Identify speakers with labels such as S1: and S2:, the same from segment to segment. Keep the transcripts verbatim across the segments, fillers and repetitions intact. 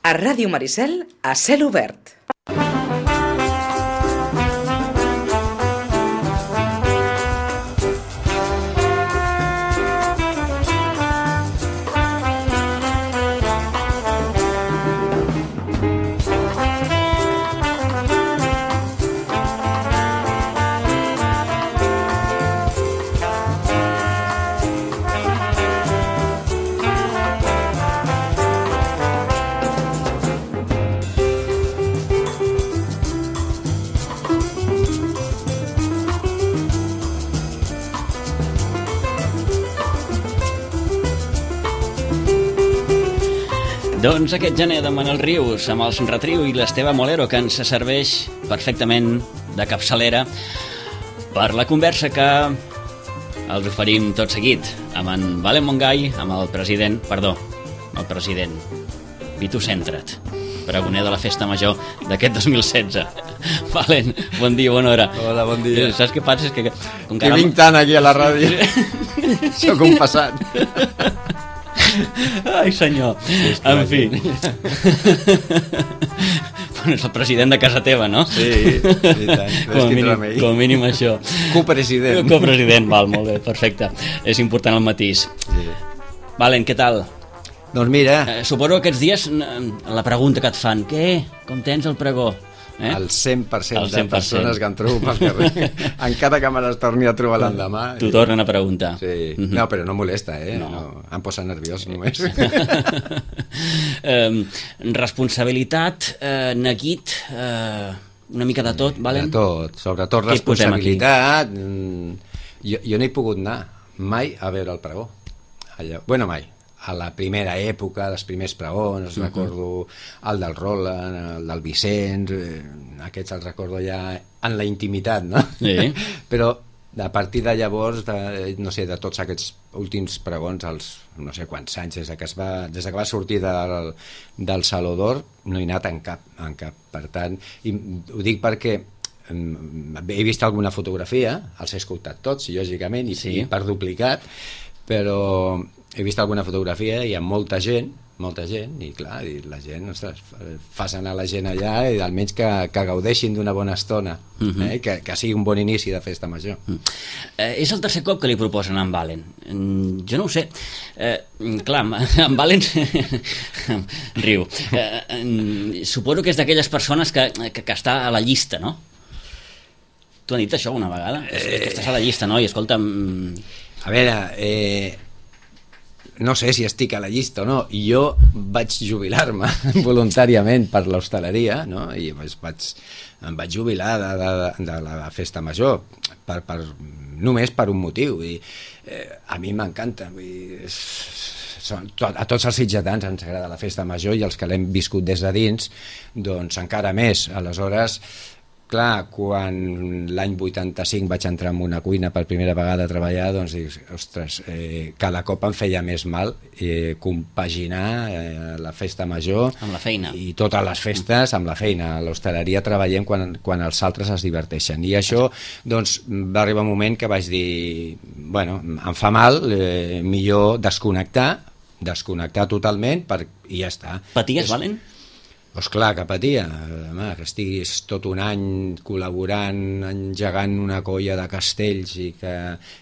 S1: A Ràdio Maricel, a cel obert.
S2: Doncs aquest gener de Manel Rius amb els Retriu i l'Esteve Molero, que ens serveix perfectament de capçalera per la conversa que els oferim tot seguit amb en Valen Montgai, amb el president, perdó, el president Vitu Centra't, pregoner de la Festa Major d'aquest dos mil setze. Valen, bon dia, bona hora.
S3: Hola, bon dia.
S2: Saps què passa? És que...
S3: Com que vinc tant aquí a la ràdio, sóc un passat.
S2: Ai, senyor. Sí, en fi. Bueno, és el president de casa teva, no?
S3: Sí, i tant.
S2: Com a mínim, com a mínim això.
S3: Copresident.
S2: Copresident, val, molt bé, perfecte. És important el matís.
S3: Sí.
S2: Valen, què tal?
S3: Doncs mira...
S2: Eh, suposo que aquests dies la pregunta que et fan, què? Com tens el pregó? Eh?
S3: El cent per cent, el cent per cent de persones que em trobo pel carrer, encara que me les torni a trobar l'endemà.
S2: T'ho tornen a preguntar.
S3: Sí. Mm-hmm. No, però no molesta, eh? No. No. Em posa nerviós només.
S2: eh, responsabilitat, eh, neguit, eh, una mica de tot, Valen?
S3: De tot, sobretot responsabilitat. Jo, jo no he pogut anar mai a veure el pregó. Allò. Bueno, mai. A la primera època, dels primers pregons, uh-huh. recordo el del Roland, el del Vicenç, eh, aquests els recordo ja en la intimitat, no?
S2: Sí.
S3: Però a partir de llavors, de, no sé, de tots aquests últims pregons, els no sé quants anys, des que, es va, des que va sortir del, del Saló d'Or, no he anat en cap, en cap. Per tant, i ho dic perquè he vist alguna fotografia, els he escoltat tots, lògicament, i, sí. i per duplicat, però he vist alguna fotografia i hi ha molta gent, molta gent, i clar, i la gent, ostres, fas anar la gent allà i almenys que, que gaudeixin d'una bona estona, uh-huh. eh? que, que sigui un bon inici de festa major. Uh-huh.
S2: Eh, és el tercer cop que li proposen a en Valen. Jo no ho sé. Eh, clar, en Valen riu. Eh, suposo que és d'aquelles persones que, que, que està a la llista, no? Tu has dit això una vegada? Eh... Que estàs a la llista, no? I escolta'm...
S3: A veure, eh... no sé si estic a la llista o no. Jo vaig jubilar-me voluntàriament per l'hostaleria, no? I vaig, em vaig jubilar de, de, de la festa major per, per, només per un motiu. I, eh, a mi m'encanta. A tots els sitgetans ens agrada la festa major i els que l'hem viscut des de dins, doncs encara més. Aleshores, clar, quan l'any vuitanta-cinc vaig entrar en una cuina per primera vegada a treballar, doncs dic, ostres, eh, cada cop em feia més mal eh, compaginar eh, la festa major
S2: amb la feina
S3: i totes les festes amb la feina. A l'hostaleria treballem quan, quan els altres es diverteixen, i això doncs va arribar un moment que vaig dir, bueno, em fa mal, eh, millor desconnectar desconnectar totalment per, i ja està.
S2: Paties,
S3: És...
S2: Valen?
S3: Doncs clar que patia, home, que estiguis tot un any col·laborant, engegant una colla de castells i que,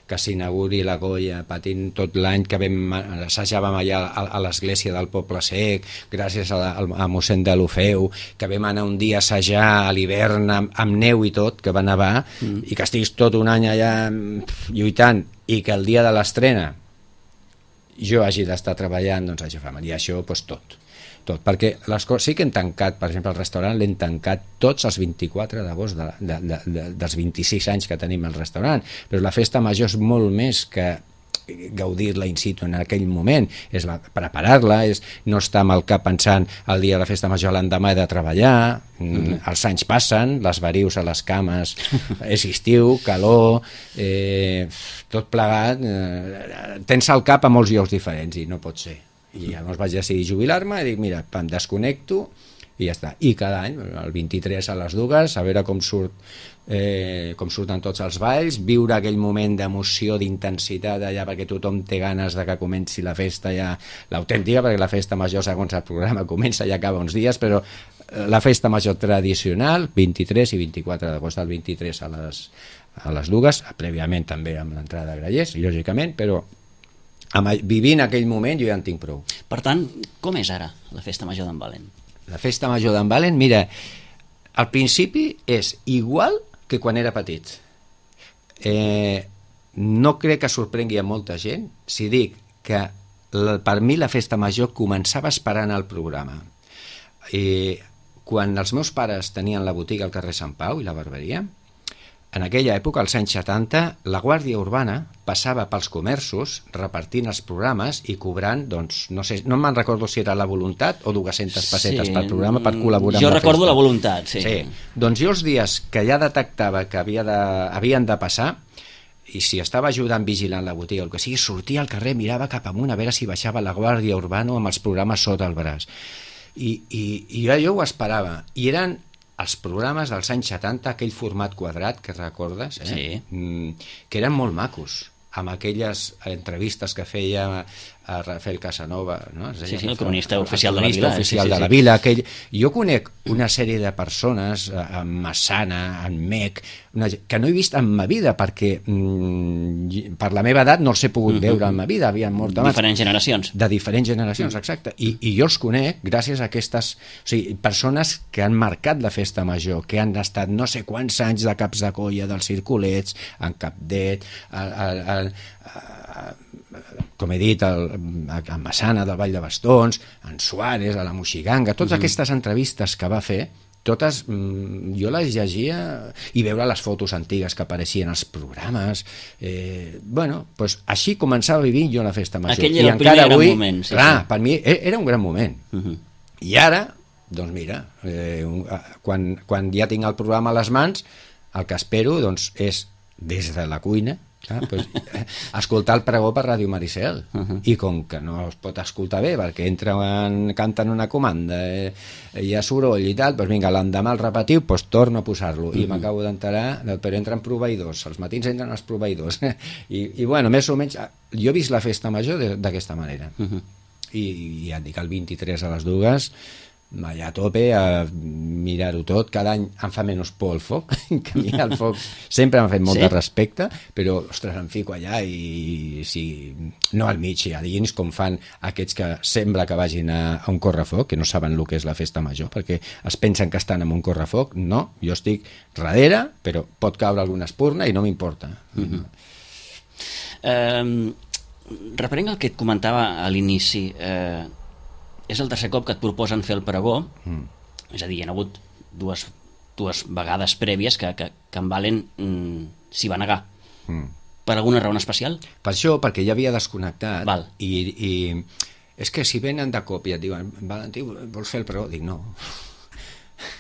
S3: que s'inauguri la colla, patint tot l'any, que vam, assajàvem allà a, a l'església del Poble Sec, gràcies a, a, a mossèn de l'Ofeu, que vam anar un dia a assajar a l'hivern amb, amb neu i tot, que va nevar, mm. i que estiguis tot un any allà lluitant, i que el dia de l'estrena jo hagi d'estar treballant, doncs això fa mal, i això doncs tot. Tot, perquè les coses sí que hem tancat, per exemple el restaurant l'hem tancat tots els vint-i-quatre d'agost de, de, de, de, dels vint-i-sis anys que tenim el restaurant, però la festa major és molt més que gaudir-la in situ en aquell moment, és preparar-la, és no estar amb el cap pensant el dia de la festa major, l'endemà he de treballar, mm-hmm. els anys passen, les verius a les cames, és estiu, calor, eh, tot plegat, eh, tens al cap a molts llocs diferents i no pot ser. I llavors vaig decidir jubilar-me i dic, mira, em desconnecto i ja està. I cada any, el vint-i-tres a les dues, a veure com surt eh, com surten tots els balls, viure aquell moment d'emoció, d'intensitat allà, perquè tothom té ganes de que comenci la festa ja, l'autèntica, perquè la festa major, segons el programa, comença i acaba uns dies, però la festa major tradicional, vint-i-tres i vint-i-quatre d'agost, el vint-i-tres a les, a les dues, prèviament també amb l'entrada de grallers, lògicament, però amb, vivint aquell moment jo ja en tinc prou.
S2: Per tant, com és ara la festa major d'en Valen?
S3: La festa major d'en Valen, mira, al principi és igual que quan era petit. Eh, no crec que sorprengui a molta gent si dic que la, per mi la festa major començava esperant el programa. Eh, quan els meus pares tenien la botiga al carrer Sant Pau i la barberia, en aquella època, als anys setanta, la Guàrdia Urbana passava pels comerços repartint els programes i cobrant, doncs, no sé, no me'n recordo si era la voluntat o dues-centes pessetes sí, per programa per col·laborar
S2: jo
S3: amb la
S2: recordo
S3: festa.
S2: La voluntat, sí.
S3: sí. Doncs jo els dies que ja detectava que havia de, havien de passar, i si estava ajudant vigilant la botiga o el que sigui, sortia al carrer, mirava cap amunt a veure si baixava la Guàrdia Urbana amb els programes sota el braç. I, i, i jo, jo ho esperava. I eren els programes dels anys setanta, aquell format quadrat que recordes, eh?
S2: Sí.
S3: Mm, que eren molt macos, amb aquelles entrevistes que feia a Rafael Casanova, no?
S2: Sí, sí, el cronista oficial de la
S3: vila.
S2: Sí, sí,
S3: de la
S2: sí.
S3: vila aquell... Jo conec una sèrie de persones, en Massana, en Mec, una... que no he vist en ma vida, perquè mm, per la meva edat no els he pogut uh-huh. veure en ma vida, havien mort abans.
S2: Diferents generacions.
S3: De diferents generacions, uh-huh. exacte. I, I jo els conec gràcies a aquestes... O sigui, persones que han marcat la festa major, que han estat no sé quants anys de caps de colla dels circulets, en Capdet, a, a, a, a, com he dit, el, a Massana del Vall de Bastons, en Suárez, a la Moixiganga, totes mm-hmm. aquestes entrevistes que va fer, totes, jo les llegia i veure les fotos antigues que apareixien als programes. Eh, bueno, doncs així començava vivint jo la festa major.
S2: Aquell era
S3: I
S2: el primer gran
S3: avui,
S2: moment. Sí,
S3: clar,
S2: sí.
S3: per mi era un gran moment.
S2: Uh-huh.
S3: I ara, doncs mira, eh, un, quan, quan ja tinc el programa a les mans, el que espero doncs, és, des de la cuina, Ah, pues, escoltar el pregó per Ràdio Maricel uh-huh. i com que no es pot escoltar bé perquè entren, canten una comanda eh, hi ha soroll i tal, doncs vinga, l'endemà el repetiu, doncs torno a posar-lo uh-huh. i m'acabo d'enterar, però entren proveïdors els matins entren els proveïdors I, i bueno, més o menys, jo he vist la festa major d'aquesta manera uh-huh. I, i ja et dic, el vint-i-tres a les dues allà a tope a mirar-ho tot, cada any em fa menys por el foc, que a mi el foc sempre m'ha fet molt sí? de respecte, però ostres, em fico allà i si, no al mig, a dins com fan aquests que sembla que vagin a, a un correfoc, que no saben el que és la festa major, perquè es pensen que estan en un correfoc, no, jo estic darrere, però pot caure alguna espurna i no m'importa.
S2: Uh-huh. um, Referent al que et comentava a l'inici, eh, és el tercer cop que et proposen fer el pregó, mm. és a dir, hi ha hagut dues, dues vegades prèvies que, que, que en Valen mm, s'hi va negar. Mm. Per alguna raó especial? Per
S3: això, perquè ja havia desconnectat.
S2: Val.
S3: I, i és que si venen de cop i et diuen, Valentí, vols fer el pregó? Dic, no.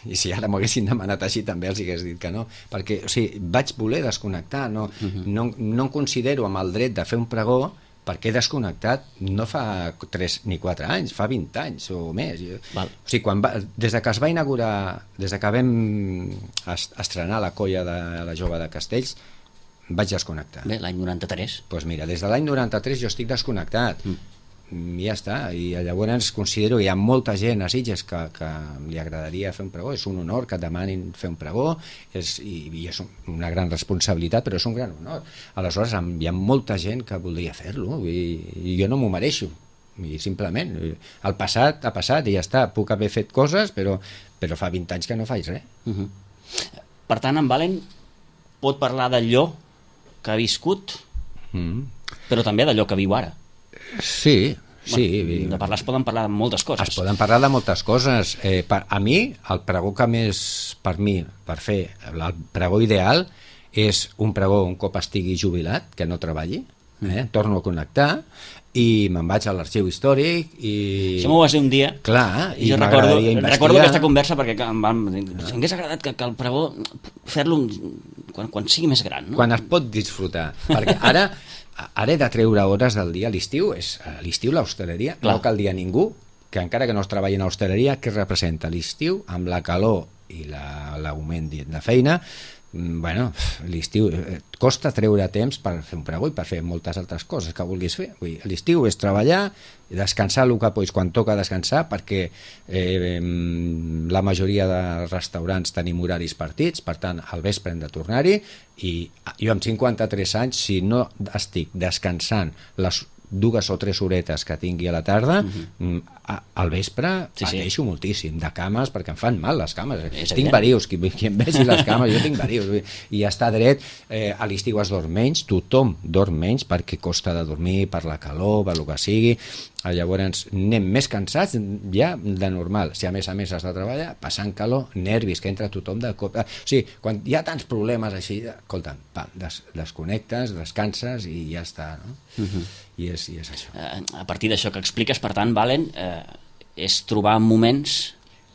S3: I si ara m'ho haguessin demanat així també els hagués dit que no, perquè o sigui, vaig voler desconnectar, no, mm-hmm. no, no em considero amb el dret de fer un pregó perquè he desconnectat no fa tres ni quatre anys, fa vint anys o més.
S2: Val.
S3: O sigui, quan va, des de que es va inaugurar, des de que vam estrenar la colla de la Jove de Castells, vaig desconnectar.
S2: Bé, l'any noranta-tres.
S3: Doncs pues mira, des de l'any noranta-tres jo estic desconnectat. Mm. I ja està, i llavors considero que hi ha molta gent a Sitges que, que li agradaria fer un pregó, és un honor que et demanin fer un pregó, és, i, i és una gran responsabilitat, però és un gran honor. Aleshores hi ha molta gent que voldria fer-lo i, i jo no m'ho mereixo, i simplement el passat ha passat i ja està, puc haver fet coses però, però fa vint anys que no faig res.
S2: Uh-huh. Per tant, en Valen pot parlar d'allò que ha viscut, mm. però també d'allò que viu ara.
S3: Sí, sí.
S2: Bueno, de parlar es poden parlar de moltes coses.
S3: Es poden parlar de moltes coses. Eh, per, a mi, el pregó que més, per mi, per fer el pregó ideal és un pregó un cop estigui jubilat, que no treballi, eh? Torno a connectar i me'n vaig a l'arxiu històric i...
S2: Això m'ho vas dir un dia.
S3: Clar,
S2: i jo recordo, recordo aquesta conversa perquè em van dir, m'hagués agradat que, que el pregó fer-lo quan, quan sigui més gran, no?
S3: Quan es pot disfrutar, perquè ara... Ara he de treure hores del dia, l'estiu és l'estiu l'hostaleria, no cal dir a ningú que encara que no es treballi en hostaleria, què representa l'estiu amb la calor i l'augment la, de feina? Bueno, l'estiu costa treure temps per fer un pregó i per fer moltes altres coses que vulguis fer. L'estiu és treballar, descansar el que pots quan toca descansar, perquè eh, la majoria de restaurants tenim horaris partits, per tant al vespre hem de tornar-hi, i jo amb cinquanta-tres anys, si no estic descansant les dues o tres horetes que tingui a la tarda, uh-huh. al vespre sí, pateixo sí. moltíssim de cames, perquè em fan mal les cames, és tinc verius, qui, qui em vegi les cames, jo tinc verius, i ja està dret, eh, a l'estiu es dorm menys, tothom dorm menys perquè costa de dormir per la calor, per el que sigui, llavors anem més cansats ja de normal, si a més a més has de treballar, passant calor, nervis, que entra tothom de cop, o sigui, quan hi ha tants problemes així, escolta'm, pam, des, desconnectes, descanses i ja està, no? Uh-huh. I és, i és això.
S2: A partir d'això que expliques, per tant, Valen, eh, és trobar moments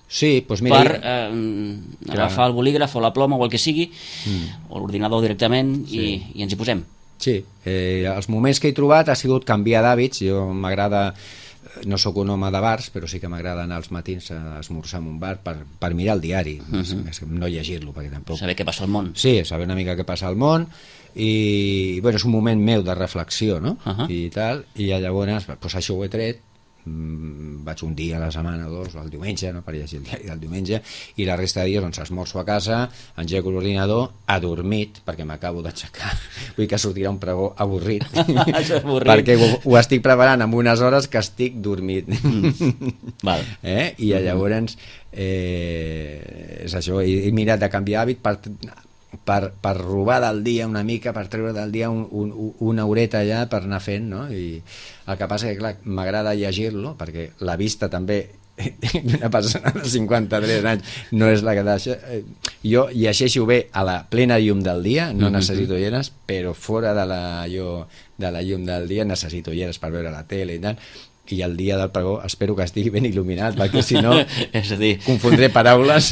S3: sí, doncs mira,
S2: per eh, agafar el bolígraf o la ploma o el que sigui, mm. o l'ordinador directament, sí. i, i ens hi posem.
S3: Sí, eh, els moments que he trobat ha sigut canviar d'hàbits. Jo m'agrada, no sóc un home de bars, però sí que m'agrada anar als matins a esmorzar en un bar per, per mirar el diari, uh-huh. no llegir-lo, perquè tampoc...
S2: Saber què passa al món.
S3: Sí, saber una mica què passa al món, i bueno, és un moment meu de reflexió, no? Uh-huh. I tal, i llavors pues, això ho he tret, mm, vaig un dia a la setmana o dos, el diumenge, no? Per llegir el diari del diumenge, i la resta de dies doncs esmorzo a casa, engego l'ordinador, adormit, perquè m'acabo d'aixecar, vull que sortirà un pregó avorrit, avorrit. perquè ho, ho estic preparant en unes hores que estic dormit. Mm. Val. Eh? I llavors eh, és això, he, he mirat de canviar hàbit per... Per, per robar del dia una mica, per treure del dia un, un, una horeta allà per anar fent, no? I el que passa que, clar, m'agrada llegir-lo, perquè la vista també d'una persona de cinquanta-tres anys no és la que deixa... Jo llegeixo bé a la plena llum del dia, no mm-hmm. necessito ulleres, però fora de la, jo, de la llum del dia necessito ulleres per veure la tele i tal, i el dia del pregó espero que estigui ben il·luminat, perquè si no
S2: és a dir,
S3: confondré paraules.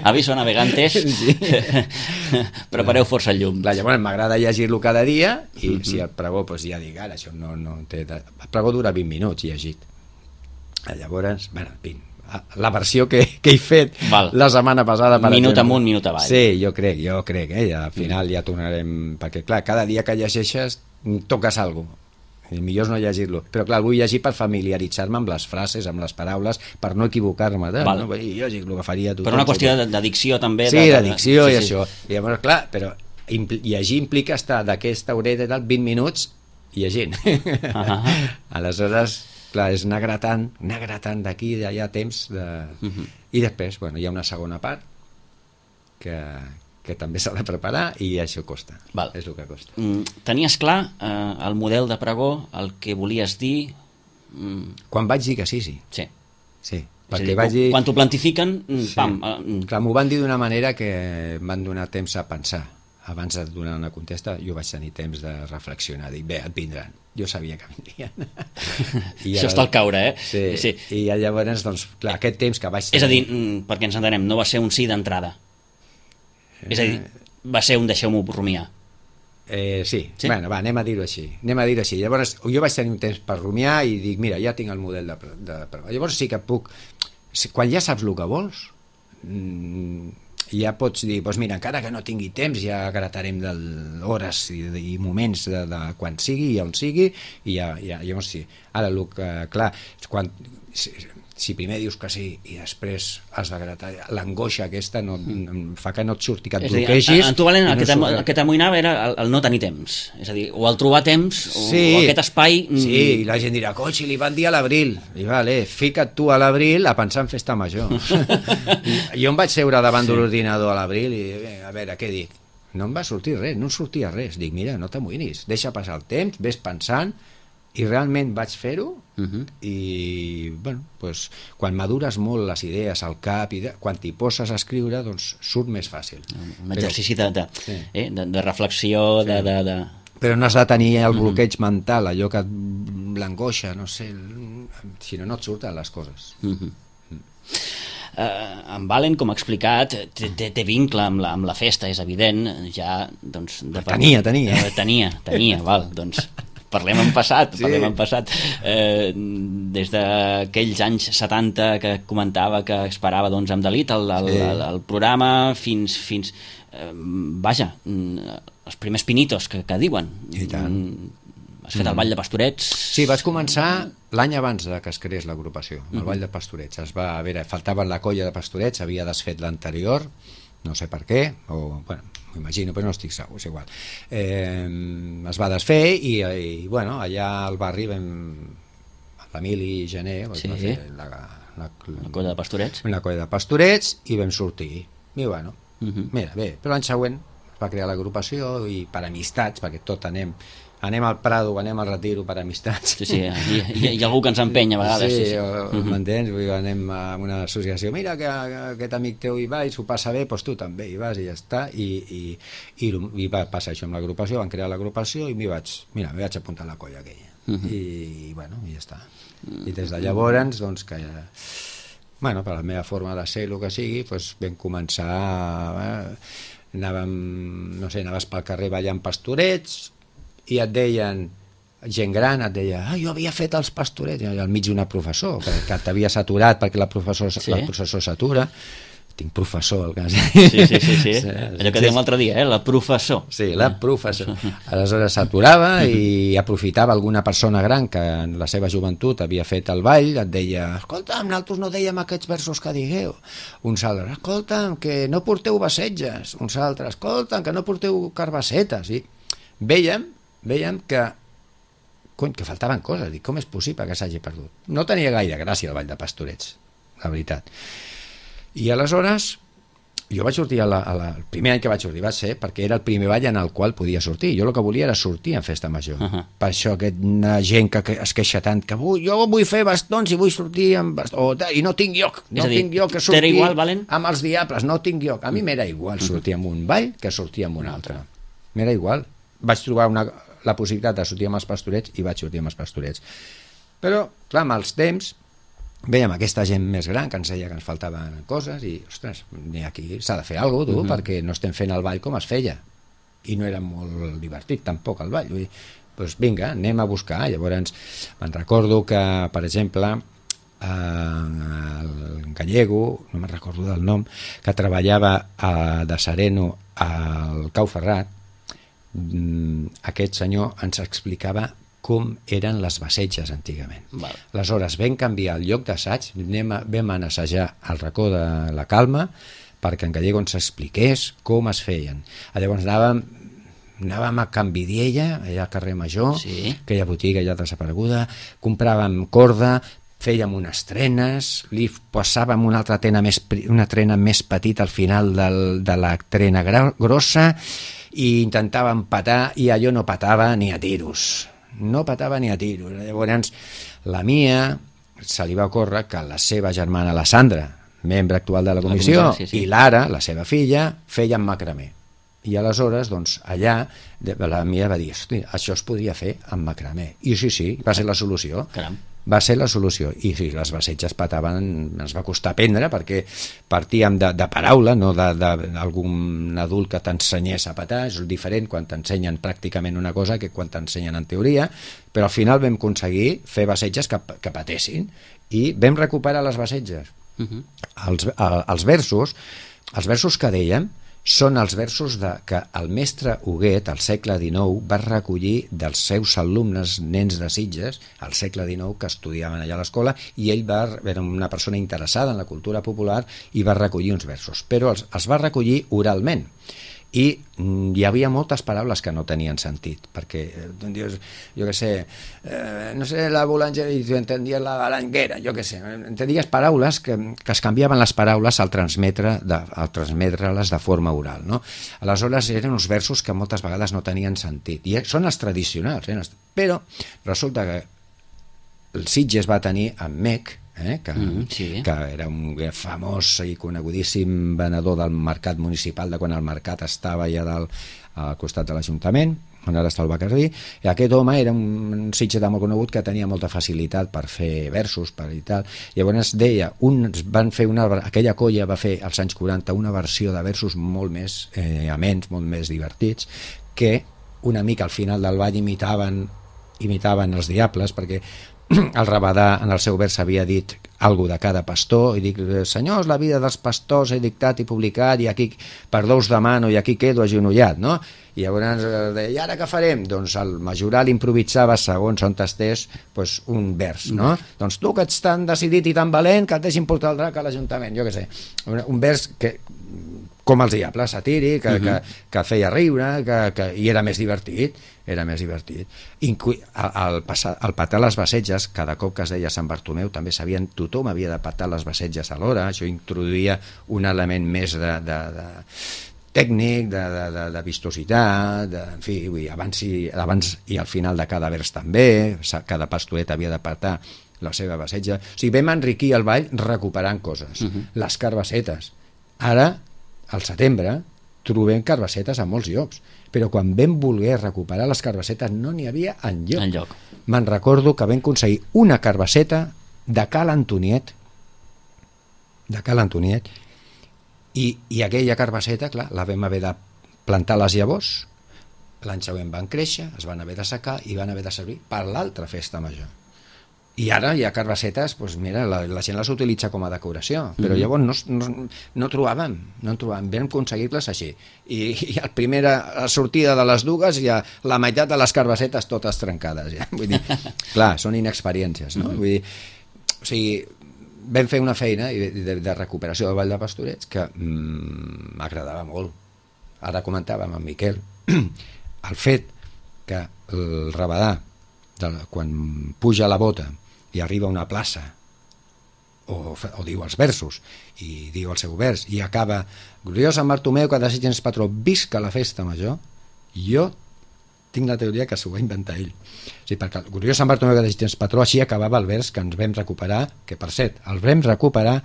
S2: Aviso navegantes, sí. Prepareu força el llum.
S3: Clar, llavors m'agrada llegir-lo cada dia, i mm-hmm. si el pregó, doncs ja dic, ara això no, no té... El pregó dura vint minuts llegit. Llavors, bueno, vint. La versió que, que he fet Val. la setmana passada, per
S2: minut
S3: exemple.
S2: amunt, minut avall.
S3: Sí, jo crec, jo crec, eh? Al final mm. ja tornarem, perquè clar, cada dia que llegeixes toques alguna cosa. El millor és no llegir-lo, però clar, el vull llegir per familiaritzar-me amb les frases, amb les paraules, per no equivocar-me, no? Jo dic el que faria tothom.
S2: Però una qüestió d'addicció també.
S3: Sí, d'addicció i això. I llavors, clar, però llegir implica estar d'aquesta horeta i tal vint minuts llegint. Uh-huh. Aleshores, clar, és anar gratant, anar gratant d'aquí i d'allà temps de... uh-huh. I després, bueno, hi ha una segona part que... que també s'ha de preparar i això costa. Val. És el que costa.
S2: Mm, tenies clar eh, el model de pregó, el que volies dir?
S3: Mm. Quan vaig dir que sí, sí.
S2: Sí.
S3: Sí.
S2: Perquè dir, vaig dir... Quan t'ho plantifiquen, sí. pam.
S3: Eh, clar, m'ho van dir d'una manera que em van donar temps a pensar. Abans de donar una contesta, jo vaig tenir temps de reflexionar, dir, bé, et vindran. Jo sabia que vindrien.
S2: I això està al caure, eh?
S3: Sí. sí. I llavors, doncs, clar, aquest temps que vaig
S2: tenir... És a dir, perquè ens entenem, no va ser un sí d'entrada. És a dir, va ser un deixeu-m'ho rumiar.
S3: Eh, sí. sí, bueno, va, anem a dir-ho així. Anem a dir-ho així. Llavors, jo vaig tenir un temps per rumiar i dic, mira, ja tinc el model de, de, de... Llavors sí que puc... Quan ja saps el que vols, ja pots dir, doncs mira, encara que no tingui temps, ja gratarem d'hores i, i moments de, de quan sigui i on sigui, i ja, ja, llavors sí. Ara, el que, clar, quan... Si primer dius que sí i després has de gratar, l'angoixa aquesta no, mm. fa que no et surti, que et bloquegis.
S2: En tu, Valen, el, no el que t'amoïnava era el, el no tenir temps, és a dir, o el trobar temps o, sí, o aquest espai.
S3: Sí, i la gent dirà, coi, si li van dir a l'abril, i vale, fica't tu a l'abril a pensar en festa major. I jo em vaig seure davant sí. de l'ordinador a l'abril i a veure, què dic? No em va sortir res, no em sortia res. Dic, mira, no t'amoïnis, deixa passar el temps, ves pensant. I realment vaig fer-ho uh-huh. i bueno, pues, quan madures molt les idees al cap i de, quan t'hi poses a escriure doncs surt més fàcil.
S2: Un exercici però, de, de, sí. eh, de, de reflexió sí. de, de, de...
S3: Però no has de tenir el bloqueig uh-huh. mental, allò que l'angoixa, no sé, si no no et surten les coses. Uh-huh.
S2: Uh. Uh, en Valen, com ha explicat, té, té vincle amb la, amb la festa, és evident, ja doncs, de
S3: tenia, tenia
S2: uh, tenia, tenia, val, doncs Parlem en passat,
S3: Sí.
S2: parlem en passat. Eh, des d'aquells anys setanta que comentava que esperava doncs, amb delit el, el,
S3: Sí.
S2: el, el programa fins... fins eh, vaja, mm, els primers pinitos que, que diuen.
S3: I tant.
S2: Mm, has fet el ball de Pastorets?
S3: Sí, vaig començar l'any abans de que es creés l'agrupació, amb el Ball de Pastorets. Es va, a veure, faltava la colla de Pastorets, havia desfet l'anterior, no sé per què, o, bueno, m'imagino, però no estic segur, és igual. Eh, es va desfer i, i bueno, allà al barri vam, l'Emili Gené,
S2: Sí.
S3: va fer la, la,
S2: La colla de Pastorets?
S3: una colla de Pastorets i vam sortir. I bueno,
S2: Mhm.
S3: mira, bé, però l'any següent es va crear l'agrupació i per amistats, perquè tot anem anem al Prado, anem al Retiro per amistats.
S2: Sí, sí, hi, hi, hi ha algú que ens empenya a vegades.
S3: Sí,
S2: Sí, sí.
S3: o- m'entens? Vull dir, anem a una associació, mira que, que aquest amic teu hi va i s'ho passa bé, doncs tu també hi vas i ja està, i, i, i, i va passar això amb l'agrupació, van crear l'agrupació i m'hi vaig, mira, m'hi vaig apuntar a la colla aquella. I, i bueno, i ja està. I des de llavors, doncs que ja, bueno, per la meva forma de ser, el que sigui, doncs vam començar, eh, anàvem, no sé, anaves pel carrer ballant pastorets, i et deien, gent gran et deia, ah, jo havia fet els pastorets, i al mig d'una professor, que, que t'havia saturat perquè la professor,
S2: Sí.
S3: la professor s'atura, tinc professor al cas.
S2: Sí, sí, sí, sí.
S3: Sí,
S2: Allò que dèiem l'altre dia, eh? La professor.
S3: Sí, la professor. Aleshores s'aturava i aprofitava alguna persona gran que en la seva joventut havia fet el ball, et deia, escolta'm, nosaltres no dèiem aquests versos que digueu. Uns altres, escolta'm, que no porteu bassetges. Uns altres, escolta'm, que no porteu carbassetes. I vèiem, vèiem que cony, que faltaven coses, dic, com és possible que s'hagi perdut? No tenia gaire gràcia el ball de Pastorets, la veritat. I aleshores jo vaig sortir a la, a la, el primer any que vaig sortir va ser perquè era el primer ball en el qual podia sortir. Jo el que volia era sortir en festa major.
S2: Uh -huh.
S3: Per això aquesta gent que, que es queixa tant que vull, jo vull fer bastons i vull sortir amb bastons, o, i no tinc lloc, no
S2: És a dir,
S3: tinc lloc que
S2: t'era
S3: sortir
S2: igual, Valen?
S3: amb els diables, no tinc lloc. A mi m'era igual sortir amb un ball que sortir amb un altre. M'era igual. Vaig trobar una, la possibilitat de sortir amb els pastorets i vaig sortir amb els pastorets. Però, clar, amb els temps veiem aquesta gent més gran que ens deia que ens faltaven coses i, ostres, aquí s'ha de fer alguna cosa, tu, uh -huh. perquè no estem fent el ball com es feia. I no era molt divertit, tampoc, el ball. Vull dir, doncs vinga, anem a buscar. Llavors, me'n recordo que, per exemple, eh, el gallego, no me'n recordo del nom, que treballava a, de sereno al Cau Ferrat, aquest senyor ens explicava com eren les bassetges antigament.
S2: Val.
S3: Aleshores vam canviar el lloc d'assaig, vam anar a assajar al racó de la Calma perquè en Gallego ens expliqués com es feien. Llavors anàvem, anàvem a Can Vidiella, allà al carrer Major,
S2: Sí.
S3: aquella botiga ja desapareguda, compràvem corda, fèiem unes trenes, li posàvem una altra trena més, una trena més petita al final del, de la trena grossa i intentàvem patar i allò no patava ni a tiros. No patava ni a tiros. Llavors, la Mia se li va ocórrer que la seva germana, la Sandra, membre actual de la comissió,
S2: La comissió, sí, sí.
S3: i l'Ara, la seva filla, feien macramé. I aleshores, doncs, allà, la Mia va dir, hosti, això es podria fer amb macramé. I sí, sí, va ser la solució.
S2: Caram.
S3: Va ser la solució. I sí, les bassetges pataven, ens va costar aprendre, perquè partíem de, de paraula, no d'algun adult que t'ensenyés a patar. És diferent quan t'ensenyen pràcticament una cosa que quan t'ensenyen en teoria, però al final vam aconseguir fer bassetges que, que patessin i vam recuperar les bassetges.
S2: Uh -huh.
S3: Els, els versos, els versos que dèiem, són els versos de, que el mestre Huguet, al segle dinou, va recollir dels seus alumnes, nens de Sitges, al segle dinou, que estudiaven allà a l'escola, i ell va, era una persona interessada en la cultura popular i va recollir uns versos, però els, els va recollir oralment. I mm, hi havia moltes paraules que no tenien sentit, perquè tu dius, jo què sé, eh, no sé, la bolangera, i tu entendies la balanguera, jo què sé, entendies paraules que, que es canviaven les paraules al transmetre de, al transmetre-les de forma oral, no? Aleshores eren uns versos que moltes vegades no tenien sentit, i són els tradicionals, eh? Però resulta que el Sitges va tenir en Mec, Eh, que,
S2: mm, sí.
S3: que era un famós i conegudíssim venedor del mercat municipal de quan el mercat estava allà dalt al costat de l'Ajuntament, on ara està el Bacardí, i aquest home era un, un sitgetà molt conegut que tenia molta facilitat per fer versos per i tal. Llavors deia, uns van fer una, aquella colla va fer als anys quaranta una versió de versos molt més eh, amens, molt més divertits, que una mica al final del ball imitaven imitaven els diables, perquè el Rabadà en el seu vers havia dit algo de cada pastor, i dic, senyors, la vida dels pastors he dictat i publicat, i aquí per dos demano i aquí quedo agenollat, no? I llavors deia, i ara què farem? Doncs el majoral improvisava segons on estés pues, un vers, no? Mm. Doncs tu que ets tan decidit i tan valent que et deixin portar el drac a l'Ajuntament, jo què sé, un vers que com els diables, satíric, que, uh-huh. que, que feia riure, que, que, i era més divertit, era més divertit. Inclu el, passar, el patar les basetges, cada cop que es deia Sant Bartomeu, també sabien, tothom havia de patar les basetges alhora, això introduïa un element més de, de, de tècnic, de, de, de, de vistositat, de, en fi, vull, abans, i, abans i al final de cada vers també, cada pastoret havia de patar la seva basetja. O sigui, vam enriquir el ball recuperant coses, uh-huh. les carbassetes. Ara, al setembre, trobem carbassetes a molts llocs, però quan vam voler recuperar les carbassetes no n'hi havia enlloc.
S2: enlloc.
S3: Me'n recordo que vam aconseguir una carbasseta de Cal Antoniet, de Cal Antoniet, i, i aquella carbasseta, clar, la vam haver de plantar les llavors, l'any següent van créixer, es van haver de secar i van haver de servir per l'altra festa major. I ara hi ha carbassetes, doncs mira, la, la gent les utilitza com a decoració, però mm-hmm. llavors no, no, no trobàvem, no trobàvem, vam aconseguir-les així. I, i a la primera sortida de les dues hi ha la meitat de les carbassetes totes trencades. Ja. Vull dir, clar, són inexperiències, no? Mm-hmm. Vull dir, o sigui, vam fer una feina de, de, de recuperació del Vall de Pastorets que m'agradava mm, molt. Ara comentàvem amb Miquel el fet que el Rabadà, de, quan puja la bota i arriba a una plaça o, o diu els versos i diu el seu vers i acaba gloriós Sant Bartomeu que desitgens patró, visca la festa major, jo tinc la teoria que s'ho va inventar ell. O sigui, perquè gloriós Sant Bartomeu que desitgens patró, així acabava el vers que ens vam recuperar, que per cert, el vam recuperar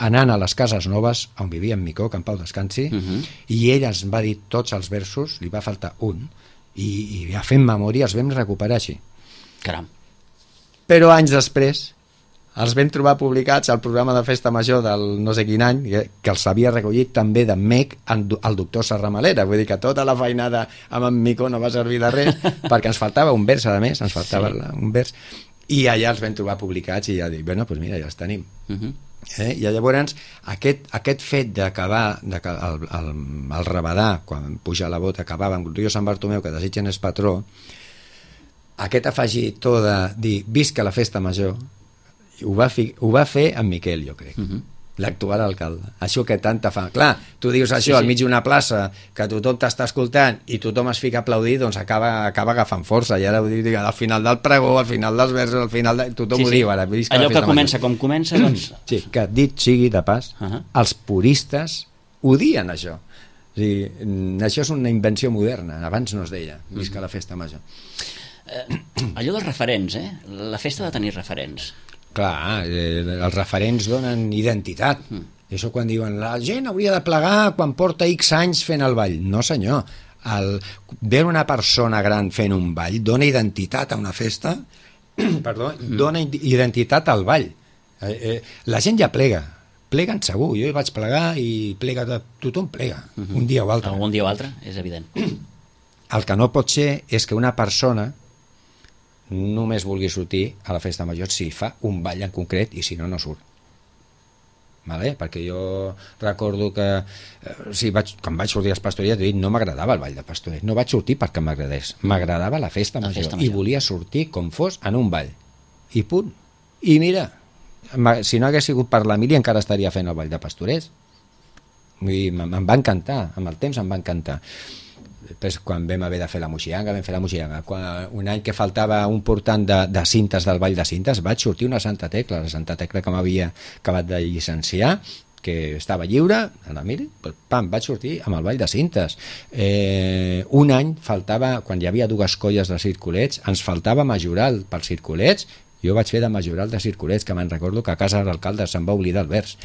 S3: anant a les cases noves on vivia en Micó, que en pau descansi, uh-huh. i ell ens va dir tots els versos, li va faltar un, i, i ja fent memòria els vam recuperar així.
S2: Caram.
S3: Però anys després els vam trobar publicats al programa de festa major del no sé quin any, que els havia recollit també d'en Mec el doctor Serramalera, vull dir que tota la feinada amb en Mico no va servir de res perquè ens faltava un vers, a més, ens faltava sí. un vers, i allà els vam trobar publicats i ja dic, bueno, doncs mira, ja els tenim. Uh-huh. eh? I llavors aquest, aquest fet d'acabar de que el, el, el Rabadà, quan puja la bota, acabava amb Rio Sant Bartomeu que desitgen és patró, aquest afegitó de dir visca la festa major ho va, fi, ho va fer en Miquel, jo crec, uh-huh. l'actual alcalde. Això que tanta fa. Clar, tu dius això sí, sí. al mig d'una plaça que tothom t'està escoltant i tothom es fica a aplaudir, doncs acaba, acaba agafant força. I ara ho dic, al final del pregó, al final dels versos, al final de... tothom sí, ho sí. diu ara.
S2: Allò que comença major. Com comença, doncs...
S3: Sí, que dit sigui de pas, uh-huh. els puristes odien això. O sigui, això és una invenció moderna, abans no es deia, visca uh-huh. la festa major.
S2: Eh, allò dels referents, eh? La festa de tenir referents.
S3: Clar, eh, els referents donen identitat. Mm. Això quan diuen la gent hauria de plegar quan porta X anys fent el ball. No senyor, el, veure una persona gran fent un ball dona identitat a una festa, perdó, mm. dona identitat al ball. Eh, eh, la gent ja plega, pleguen segur, jo hi vaig plegar i plega, tothom plega, mm-hmm. un dia o altre.
S2: Algun dia o altre, és evident.
S3: El que no pot ser és que una persona només vulgui sortir a la festa major si fa un ball en concret i si no, no surt. Vale? Perquè jo recordo que eh, si vaig, quan vaig sortir als Pastorets no m'agradava el ball de Pastorets, no vaig sortir perquè m'agradés, m'agradava la festa la major, festa major i volia sortir com fos en un ball i punt. I mira, si no hagués sigut per l'Emili encara estaria fent el ball de Pastorets. Em va encantar, amb el temps em va encantar. Després, quan vam haver de fer la moxianga, vam fer la moxianga. Quan, un any que faltava un portant de, de cintes del Ball de Cintes, vaig sortir una Santa Tecla, la Santa Tecla que m'havia acabat de llicenciar, que estava lliure, a la miri, pam, vaig sortir amb el Ball de Cintes. Eh, un any faltava, quan hi havia dues colles de circulets, ens faltava majoral pels circulets, jo vaig fer de majoral de circulets, que me'n recordo que a casa de l'alcalde se'n va oblidar el vers.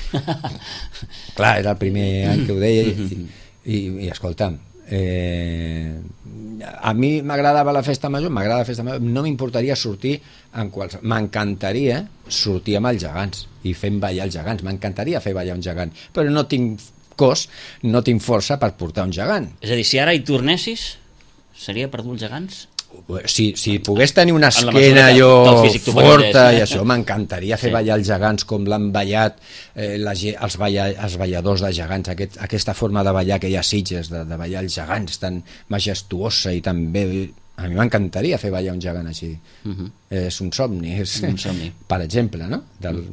S3: Clar, era el primer any que ho deia i, i, i escolta'm, Eh, a mi m'agradava la festa major, m'agrada la festa major, no m'importaria sortir en qualsevol, m'encantaria sortir amb els gegants i fent ballar els gegants, m'encantaria fer ballar un gegant, però no tinc cos, no tinc força per portar un gegant.
S2: És a dir, si ara hi tornessis seria per dur els gegants?
S3: Si, si pogués tenir una
S2: En la
S3: esquena
S2: mesura que
S3: jo
S2: del físic t'ho
S3: forta
S2: permetés,
S3: i
S2: eh?
S3: això, m'encantaria fer
S2: Sí.
S3: ballar els gegants com l'han ballat eh, la, ge- els, balla, els balladors de gegants, aquest, aquesta forma de ballar que hi ha a Sitges, de, de ballar els gegants tan majestuosa i tan bé. A mi m'encantaria fer ballar un gegant així.
S2: Mhm.
S3: És un somni, és,
S2: Un somni.
S3: per exemple, no? Del,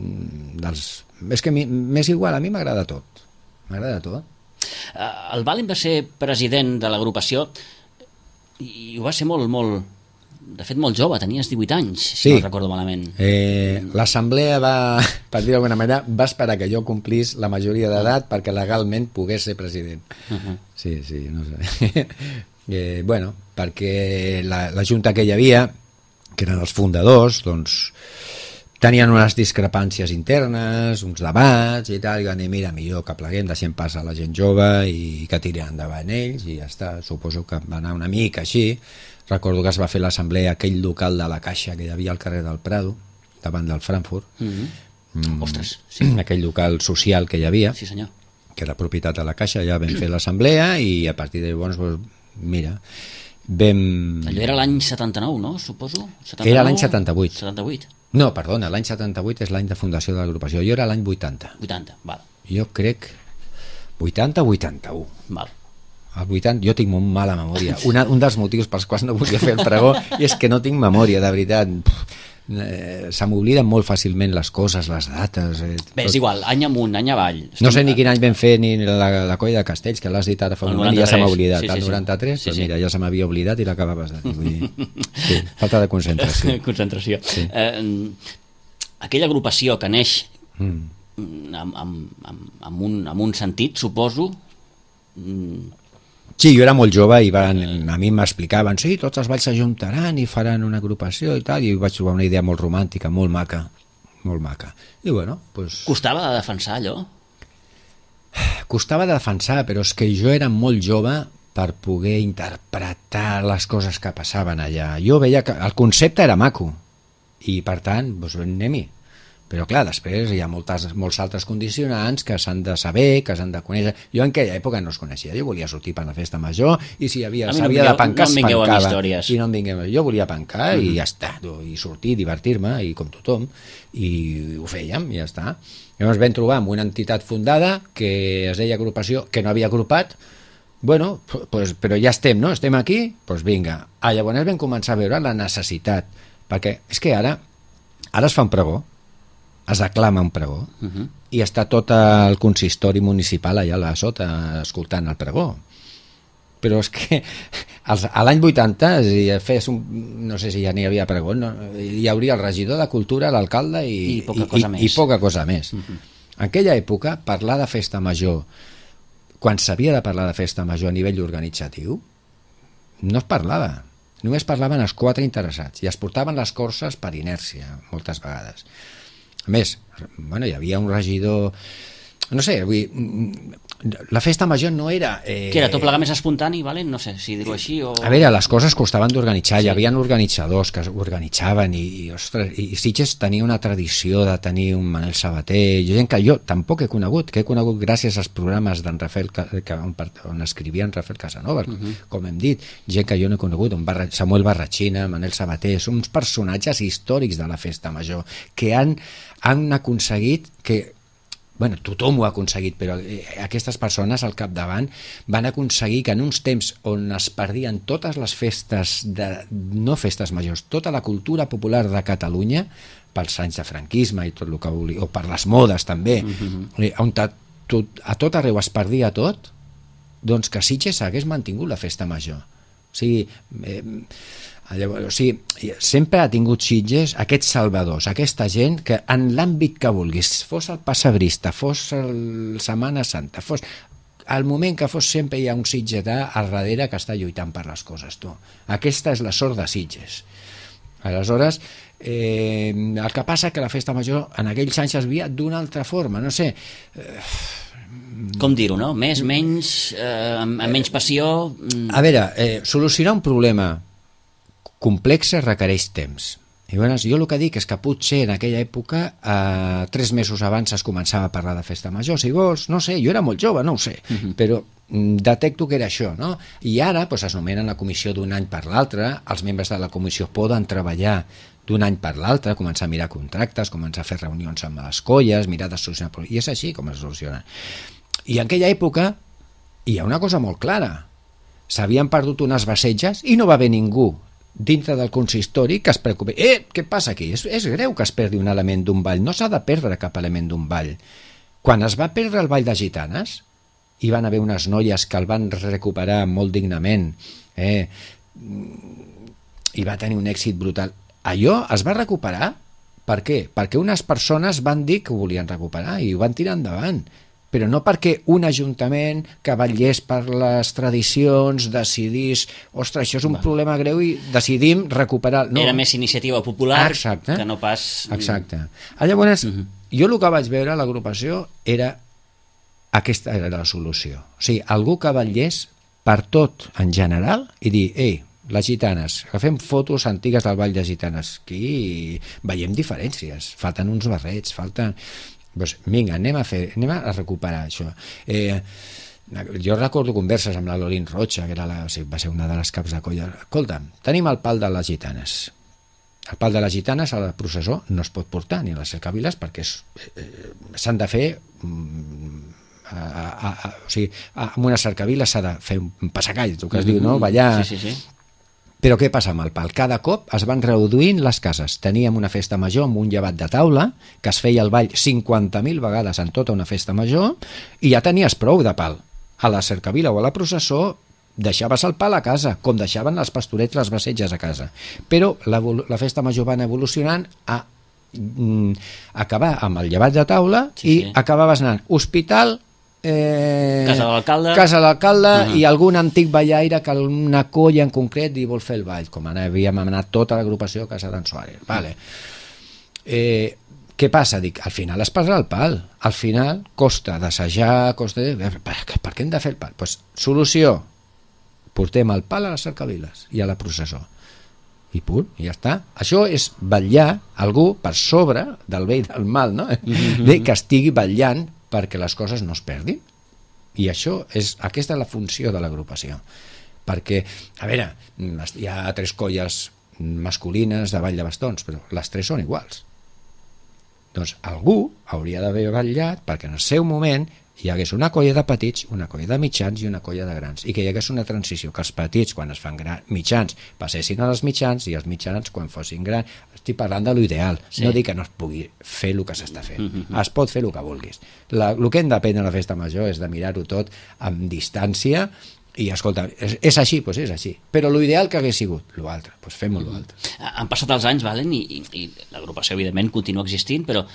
S3: dels, és que a mi, m'és igual, a mi m'agrada tot. M'agrada tot.
S2: Eh, El Valen va ser president de l'agrupació i ho va ser molt, molt... De fet, molt jove, tenies divuit anys, si
S3: Sí.
S2: no recordo malament.
S3: Eh, L'assemblea va, per dir d'alguna manera, va esperar que jo complís la majoria d'edat perquè legalment pogués ser president.
S2: Uh -huh.
S3: Sí, sí, no sé. eh, bueno, perquè la, la junta que hi havia, que eren els fundadors, doncs tenien unes discrepàncies internes, uns debats i tal, i van dir, mira, millor que pleguem, deixem pas a la gent jove i que tirin endavant ells, i ja està. Suposo que va anar una mica així. Recordo que es va fer l'assemblea a aquell local de la Caixa que hi havia al carrer del Prado, davant del Frankfurt.
S2: Uh -huh.
S3: Mm,
S2: Ostres, sí.
S3: Aquell local social que hi havia,
S2: Sí, senyor.
S3: que era propietat de la Caixa, ja vam fer l'assemblea i a partir de llavors, doncs, mira, vam...
S2: Allò era l'any setanta-nou, no? Suposo? setanta-nou?
S3: Era l'any setanta-vuit.
S2: setanta-vuit.
S3: No, perdona, l'any setanta-vuit és l'any de fundació de l'agrupació. Jo era l'any vuitanta.
S2: vuitanta, val.
S3: Jo crec vuitanta o vuitanta-u.
S2: val.
S3: El vuitanta, jo tinc molt mala memòria. Una, un dels motius pels quals no volia fer el pregó és que no tinc memòria, de veritat. Eh, se m'obliden molt fàcilment les coses, les dates... Eh,
S2: Bé, és igual, any amunt, any avall.
S3: No sé ni quin any vam fer ni la, la colla de Castells, que l'has dit ara fa un moment i ja se m'ha oblidat.
S2: Sí, sí,
S3: el
S2: sí.
S3: noranta-tres,
S2: Sí,
S3: doncs
S2: sí.
S3: mira, ja se m'havia oblidat i l'acabaves de dir. Vull dir, sí, falta de concentració.
S2: Concentració.
S3: Sí.
S2: Eh, aquella agrupació que neix
S3: Mm.
S2: amb, amb, amb, amb, un, amb un sentit, suposo... mm,
S3: Sí, jo era molt jove i van, a mi m'explicaven, sí, tots els balls s'ajuntaran i faran una agrupació i tal, i vaig trobar una idea molt romàntica, molt maca, molt maca. I bueno, doncs...
S2: Costava de defensar allò?
S3: Costava de defensar, però és que jo era molt jove per poder interpretar les coses que passaven allà. Jo veia que el concepte era maco, i per tant, doncs anem-hi. Però clar, després hi ha moltes, molts altres condicionants que s'han de saber, que s'han de conèixer. Jo en aquella època no es coneixia, jo volia sortir per la festa major i si havia,
S2: A mi no
S3: s'havia
S2: em
S3: de
S2: vingueu-
S3: pencar,
S2: no em
S3: es
S2: vingueu amb
S3: pencava.
S2: històries.
S3: I no em vingueu, jo volia pencar i ja està, i sortir, divertir-me, i com tothom, i ho fèiem, i ja està. Llavors vam trobar amb una entitat fundada que es deia agrupació, que no havia agrupat. Bueno, pues, però ja estem, no? Estem aquí? Doncs pues vinga. Ah, llavors vam començar a veure la necessitat, perquè és que ara, ara es fa un pregó, es declama un pregó,
S2: Uh -huh.
S3: i està tot el consistori municipal allà a sota escoltant el pregó. Però és que als, a l'any vuitanta, si fes un, no sé si ja n'hi havia pregó, no, hi hauria el regidor de Cultura, l'alcalde i,
S2: I poca cosa
S3: i,
S2: més.
S3: i poca cosa més.
S2: Uh -huh.
S3: En aquella època, parlar de festa major, quan s'havia de parlar de festa major a nivell organitzatiu, no es parlava. Només parlaven els quatre interessats i es portaven les corses per inèrcia, moltes vegades. A més, bueno, hi havia un regidor... No sé, vull dir, la festa major no era... Eh...
S2: Que era tot plegar més espontani, vale? No sé si dir-ho així o...
S3: A veure, les coses costaven d'organitzar,
S2: Sí.
S3: hi havia organitzadors que organitzaven i, i, ostres, i Sitges tenia una tradició de tenir un Manel Sabater, gent que jo tampoc he conegut, que he conegut gràcies als programes d'en Rafael, que, on, on escrivia en Rafael Casanova, uh -huh. com hem dit, gent que jo no he conegut, un Barra, Samuel Barratxina, Manel Sabater, són uns personatges històrics de la festa major, que han, han aconseguit que... Bueno, tothom ho ha aconseguit, però eh, aquestes persones al capdavant van aconseguir que en uns temps on es perdien totes les festes, de, no festes majors, tota la cultura popular de Catalunya, pels anys de franquisme i tot el que volia, o per les modes també, uh-huh. eh, on a tot, a tot arreu es perdia tot, doncs que Sitges hagués mantingut la festa major. O sigui, eh, llavors, o sigui, sempre ha tingut Sitges aquests salvadors, aquesta gent que en l'àmbit que vulguis, fos el Passabrista, fos el Setmana Santa, fos al moment que fos, sempre hi ha un sitgetà al darrere que està lluitant per les coses, tu. Aquesta és la sort de Sitges. Aleshores, eh, el que passa que la festa major en aquells anys es via d'una altra forma, no sé... Eh,
S2: Com dir-ho, no? Més, menys, eh, amb, amb menys passió... Mm.
S3: A veure, eh, solucionar un problema complex requereix temps. I bueno, jo el que dic és que potser en aquella època, eh, tres mesos abans es començava a parlar de festa major, si vols, no sé, jo era molt jove, no ho sé, uh -huh. però detecto que era això, no? I ara doncs, es nomenen la comissió d'un any per l'altre, els membres de la comissió poden treballar d'un any per l'altre, començar a mirar contractes, començar a fer reunions amb les colles, mirar de solucionar, i és així com es soluciona. I en aquella època hi ha una cosa molt clara, s'havien perdut unes basetges i no va haver ningú dintre del consistori que es preocupi. Eh, què passa aquí? És, és greu que es perdi un element d'un ball, no s'ha de perdre cap element d'un ball. Quan es va perdre el ball de gitanes, hi van haver unes noies que el van recuperar molt dignament, eh, i va tenir un èxit brutal. Allò es va recuperar, per què? Perquè unes persones van dir que ho volien recuperar i ho van tirar endavant, però no perquè un ajuntament que vetllés per les tradicions decidís, ostres, això és un Va. problema greu i decidim recuperar... No.
S2: Era més iniciativa popular
S3: Exacte.
S2: que no pas...
S3: Exacte. Llavors, uh-huh. jo el que vaig veure a l'agrupació era aquesta era la solució. O sigui, algú que vetllés per tot en general i dir, ei, les gitanes, agafem fotos antigues del Ball de Gitanes, aquí veiem diferències, falten uns barrets, falten... Pues, vinga, anem a fer, anem a recuperar això. Eh, jo recordo converses amb la Lorin Rocha, que era la, o sigui, va ser una de les caps de colla. Escolta, tenim el pal de les gitanes. El pal de les gitanes a la processó no es pot portar ni a les cercaviles perquè és, eh, s'han de fer a, a, a, a, o sigui, amb una cercavila s'ha de fer un passacall, el que es mm-hmm. diu, no? Ballar...
S2: Sí, sí, sí.
S3: Però què passa amb el pal? Cada cop es van reduint les cases. Teníem una festa major amb un llevat de taula, que es feia el ball cinquanta mil vegades en tota una festa major, i ja tenies prou de pal. A la cercavila o a la processó deixaves el pal a casa, com deixaven els pastorets les basetges a casa. Però la, la festa major va anar evolucionant a mm, acabar amb el llevat de taula sí, i sí. acabaves anant hospital, Eh,
S2: casa de l'alcalde
S3: casa de l'alcalde uh-huh. i algun antic ballaire que una colla en concret i vol fer el ball, com havíem anat tota l'agrupació a casa d'en Suárez. Vale. Eh, què passa? Dic, al final es passa el pal, al final costa d'assajar, costa de... Per, per què hem de fer el pal? Pues, solució, portem el pal a les cercaviles i a la processó i punt, i ja està. Això és vetllar algú per sobre del bé i del mal, no? Uh-huh. De que estigui vetllant perquè les coses no es perdin. I això és, aquesta és la funció de l'agrupació. Perquè, a veure, hi ha tres colles masculines de ball de bastons, però les tres són iguals. Doncs algú hauria d'haver vetllat perquè en el seu moment hi hagués una colla de petits, una colla de mitjans i una colla de grans, i que hi hagués una transició, que els petits, quan es fan gran, mitjans, passessin als mitjans, i els mitjans, quan fossin grans. Estic parlant de l'ideal, sí. no dic que no es pugui fer el que s'està fent, mm-hmm. es pot fer el que vulguis. La, el que hem d'aprendre a la festa major és de mirar-ho tot amb distància, i escolta, és, és així, doncs és així, però l'ideal que hagués sigut l'altre, doncs fem-ho l'altre.
S2: Han passat els anys, Valen, i, i, i l'agrupació evidentment continua existint, però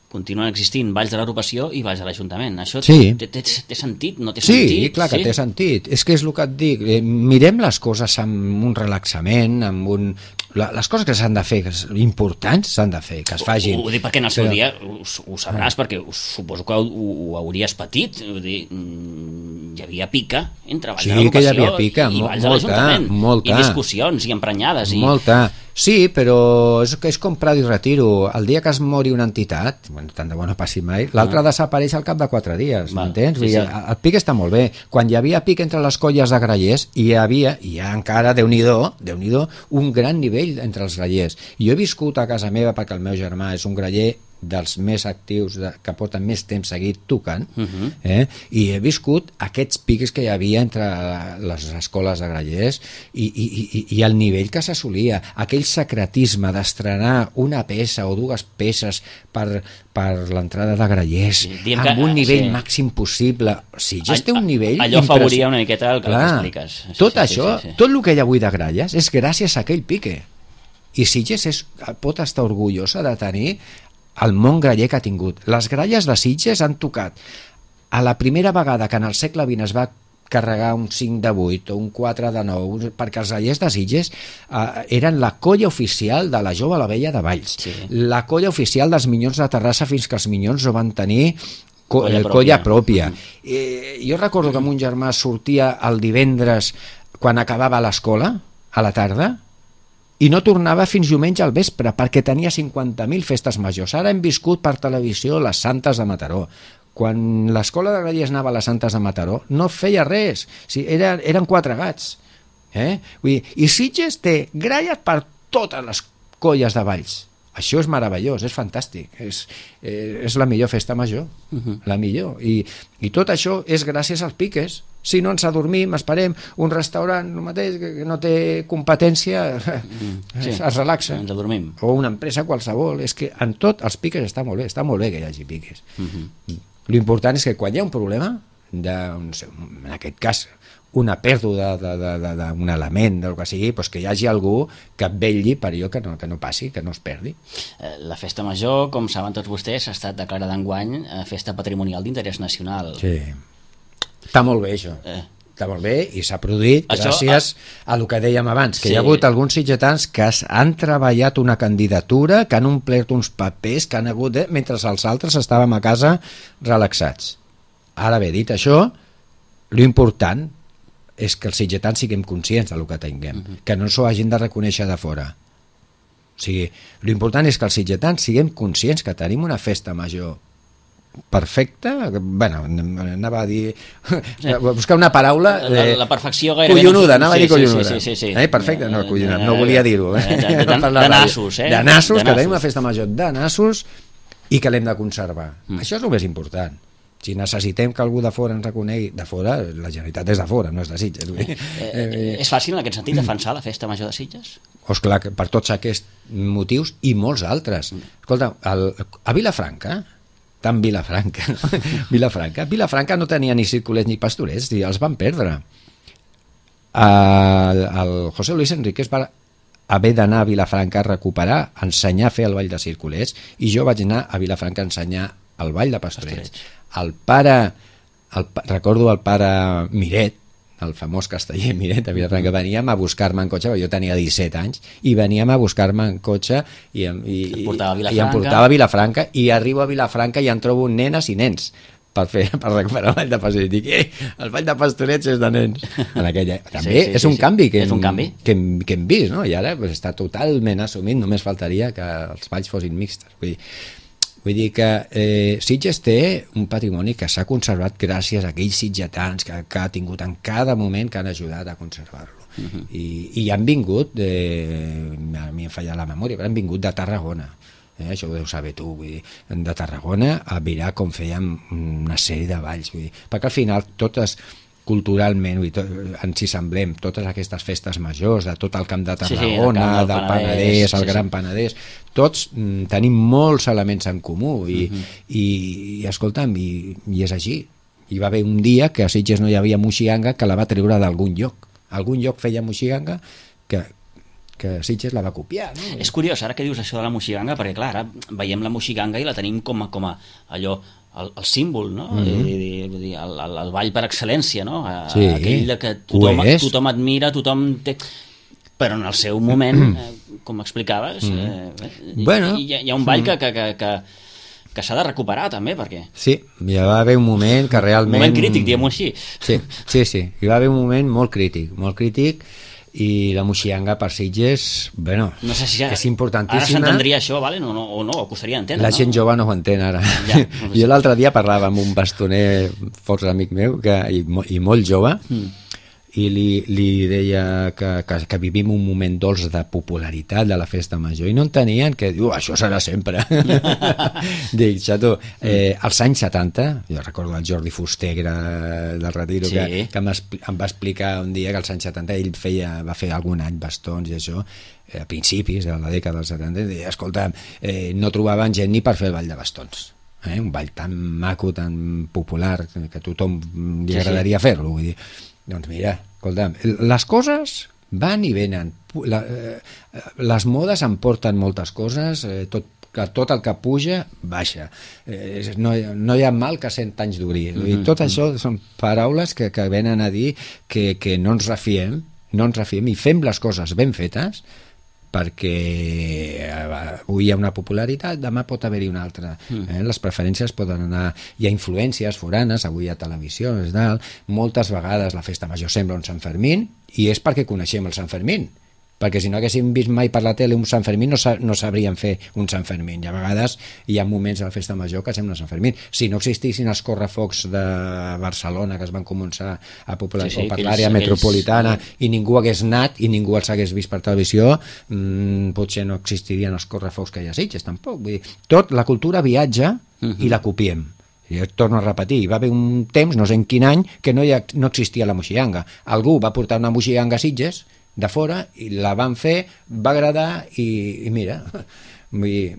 S2: continuen existint balls de l'agrupació i balls de l'Ajuntament. Això sí. té, té, té sentit? No té
S3: sí,
S2: sentit?
S3: Clar sí, clar que té sentit. És que és el que et dic. Eh, mirem les coses amb un relaxament, amb un... La, les coses que s'han de fer, que importants, s'han de fer, que es facin.
S2: Ho, ho dic perquè en el seu però... dia ho, ho sabràs, ah. perquè suposo que ho, ho hauries patit. Vull dir, hi havia pica entre balls
S3: sí,
S2: de l'agrupació
S3: hi havia pica,
S2: i balls
S3: molta,
S2: de l'Ajuntament.
S3: Molta.
S2: I discussions, i emprenyades. I...
S3: Molta. Sí, però és, és com Prado i Retiro. El dia que es mori una entitat, bueno, tant de bo no passi mai, l'altre ah. desapareix al cap de quatre dies, m'entens? Sí, sí. El, el pic està molt bé. Quan hi havia pic entre les colles de grallers, hi havia, i hi ha encara, Déu-n'hi-do, Déu-n'hi-do, un gran nivell entre els grallers. Jo he viscut a casa meva, perquè el meu germà és un graller dels més actius, de, que porten més temps seguit tocant, uh-huh. eh? i he viscut aquests pics que hi havia entre les escoles de grallers i, i, i, i el nivell que s'assolia, aquell secretisme d'estrenar una peça o dues peces per, per l'entrada de grallers, sí, amb que, un nivell sí. màxim possible. O sigui, ja té un nivell...
S2: Allò afavoria una miqueta el que Clar, expliques. Sí,
S3: tot
S2: sí,
S3: això,
S2: sí, sí, sí.
S3: tot el que hi ha avui de gralles és gràcies a aquell pique. I Sitges és, pot estar orgullosa de tenir el món graller que ha tingut. Les gralles de Sitges han tocat a la primera vegada que en el segle vint es va carregar un cinc de vuit o un quatre de nou, perquè els grallers de Sitges eh, eren la colla oficial de la Jove a la Vella de Valls, sí. la colla oficial dels Minyons de Terrassa fins que els Minyons no van tenir co colla pròpia. Colla pròpia. Mm. Eh, jo recordo que mon germà sortia el divendres quan acabava l'escola, a la tarda, i no tornava fins diumenge al vespre perquè tenia cinquanta mil festes majors. Ara hem viscut per televisió les Santes de Mataró. quan l'escola de gradies anava a les Santes de Mataró, no feia res. O sigui, eren, eren quatre gats. Eh? Vull dir, i Sitges té gralles per totes les colles de Valls. Això és meravellós, és fantàstic, és, eh, és la millor festa major, uh-huh. la millor, I, i tot això és gràcies als piques. Si no ens adormim, esperem, un restaurant el mateix, que no té competència, mm, sí, es relaxa.
S2: Ens adormim.
S3: O una empresa qualsevol, és que en tot els piques està molt bé, està molt bé que hi hagi piques. Uh-huh. L'important és que quan hi ha un problema, de, no sé, en aquest cas, una pèrdua d'un element, del que sigui, doncs que hi hagi algú que vetlli per allò que no, que no passi, que no es perdi.
S2: La festa major, com saben tots vostès, ha estat declarada enguany festa patrimonial d'interès nacional.
S3: Sí, està molt bé això. Eh. Està molt bé i s'ha produït això, gràcies a... a el que dèiem abans, que sí. Hi ha hagut alguns sitgetans que han treballat una candidatura, que han omplert uns papers, que han hagut de... mentre els altres estàvem a casa relaxats. Ara bé, dit això, l'important és que els sitgetans siguem conscients del que tinguem, uh-huh. que no s'ho hagin de reconèixer de fora. O sigui, l'important és que els sitgetans siguem conscients que tenim una festa major perfecta, bueno, anava a dir sí. buscar una paraula
S2: eh, la, la perfecció gairebé
S3: collonuda, anava sí, a dir collonuda
S2: sí, sí, sí, sí.
S3: Eh, perfecte, no, collonada, no volia dir-ho eh?
S2: de, de, de, de nassos eh?
S3: de nassos, que tenim una festa major de nassos i que l'hem de conservar, mm. això és el més important. Si necessitem que algú de fora ens reconegui, de fora, la Generalitat és de fora, no és de Sitges. Eh,
S2: eh, és fàcil en aquest sentit defensar la festa major de Sitges?
S3: Doncs clar, per tots aquests motius i molts altres. Escolta, el, a Vilafranca, tant Vilafranca, Vilafranca, Vilafranca no tenia ni circulers ni pastorets, els van perdre. El, el José Luis Enríquez va haver d'anar a Vilafranca a recuperar, a ensenyar a fer el ball de circulers, i jo vaig anar a Vilafranca a ensenyar el ball de pastorets. pastorets. El pare, el, recordo el pare Miret, el famós casteller Miret a Vilafranca, veníem a buscar-me en cotxe, jo tenia disset anys, i veníem a buscar-me en cotxe i, i, i, i em portava a Vilafranca, i arribo a Vilafranca i em trobo nenes i nens per, fer, per recuperar el ball de pastorets. Dic, eh, el ball de pastorets és de nens. En aquella... També sí, sí, és un sí, canvi, que,
S2: és un canvi.
S3: Que, hem, que hem vist, no? I ara pues, està totalment assumit, només faltaria que els balls fossin mixtes. Vull dir, Vull dir que eh, Sitges té un patrimoni que s'ha conservat gràcies a aquells sitgetans que, que ha tingut en cada moment que han ajudat a conservar-lo. Uh-huh. I, I han vingut, eh, a mi em falla la memòria, però han vingut de Tarragona. Eh, això ho deus saber tu, vull dir, de Tarragona a mirar com fèiem una sèrie de balls. Vull dir, perquè al final totes... culturalment, i tot, ens hi semblem, totes aquestes festes majors, de tot el camp de Tarragona, sí, sí, del, del Penedès, Penedès el sí, Gran sí. Penedès, tots mm, tenim molts elements en comú, i, uh-huh. i, i escolta'm, i, i és així. Hi va haver un dia que a Sitges no hi havia moixiganga, que la va treure d'algun lloc. Algun lloc feia moixiganga que, que Sitges la va copiar. No?
S2: És curiós, ara que dius això de la moixiganga, perquè clar, ara veiem la moixiganga i la tenim com a, com a allò, el, el símbol, no? Mm-hmm. I, i, i el, el, el ball per excel·lència, no? A,
S3: sí,
S2: aquell de que tothom, tothom admira, tothom té... Però en el seu moment, eh, com explicaves, mm. eh,
S3: bueno,
S2: hi, hi ha un ball que, que, que, que, que s'ha de recuperar també, perquè...
S3: Sí, hi va haver un moment que realment...
S2: Un moment crític, diguem-ho així.
S3: Sí, sí, sí, hi va haver un moment molt crític, molt crític, i la moixiganga per Sitges, bueno,
S2: no sé si ja,
S3: és importantíssima.
S2: Ara s'entendria això, vale? no, no, o no, o costaria entendre,
S3: la
S2: no?
S3: gent jove no ho entén ara. Ja, no jo l'altre dia parlava amb un bastoner força amic meu, que, i, i molt jove, mm. i li, li deia que, que, que vivim un moment dolç de popularitat de la festa major, i no entenien que diu, això serà sempre. Dic, xato, eh, als anys setanta, jo recordo el Jordi Fuster, que era del Retiro, sí. que, que em va explicar un dia que als anys setanta ell feia, va fer algun any bastons i això, a principis de la dècada dels setanta, i deia, escolta, eh, no trobaven gent ni per fer el ball de bastons. Eh? Un ball tan maco, tan popular, que a tothom li agradaria sí, sí. fer-lo, vull dir. Doncs mira, escolta'm, les coses van i venen, la, eh, les modes emporten moltes coses, eh, tot, tot el que puja baixa, eh, no, no hi ha mal que cent anys duri, mm-hmm. tot això són paraules que, que venen a dir que, que no ens refiem, no ens refiem i fem les coses ben fetes, perquè avui hi ha una popularitat, demà pot haver-hi una altra. Eh? Les preferències poden anar... Hi ha influències foranes, avui hi ha televisió, és dalt. Moltes vegades la festa major sembla un Sant Fermín, i és perquè coneixem el Sant Fermín. perquè si no haguéssim vist mai per la tele un Sant Fermín no, sa no sabríem fer un Sant Fermín, i a vegades hi ha moments a la festa major que sembla Sant Fermín. Si no existissin els correfocs de Barcelona que es van començar a popular sí, sí, per l'àrea metropolitana aquells... i ningú hagués anat i ningú els hagués vist per televisió, mmm, potser no existirien els correfocs que hi ha a Sitges, tampoc. Vull dir, tot, la cultura viatja uh-huh. i la copiem. I torno a repetir, hi va haver un temps, no sé en quin any, que no, hi ha, no existia la moixiganga. Algú va portar una moixiganga a Sitges de fora i la van fer, va agradar i, i mira, vull dir,